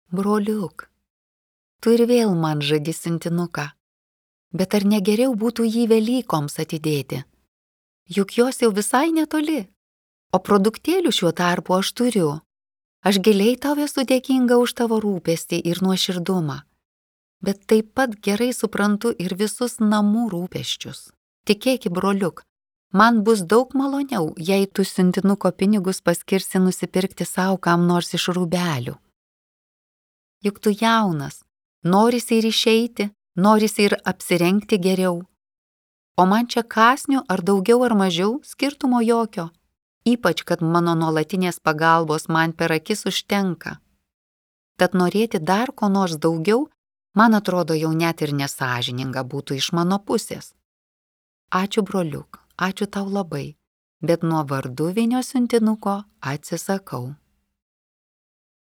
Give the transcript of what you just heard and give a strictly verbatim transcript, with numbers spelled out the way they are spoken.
Broliuk, tu ir vėl man žadi siuntinuką, bet ar negeriau būtų jį Velykoms atidėti? Juk jos jau visai netoli, o produktėlių šiuo tarpu aš turiu. Aš giliai tau esu dėkinga už tavo rūpestį ir nuoširdumą, bet taip pat gerai suprantu ir visus namų rūpesčius. Tikėki, broliuk, man bus daug maloniau, jei tu siuntinuko pinigus paskirsi nusipirkti savo kam nors iš rūbelių. Juk tu jaunas, norisi ir išeiti, norisi ir apsirengti geriau. O man čia kąsnių ar daugiau ar mažiau skirtumo jokio, ypač kad mano nuolatinės pagalbos man per akis užtenka. Tad norėti dar ko nors daugiau, man atrodo jau net ir nesąžininga būtų iš mano pusės. Ačiū, broliuk, ačiū tau labai, bet nuo varduvinio siuntinuko atsisakau.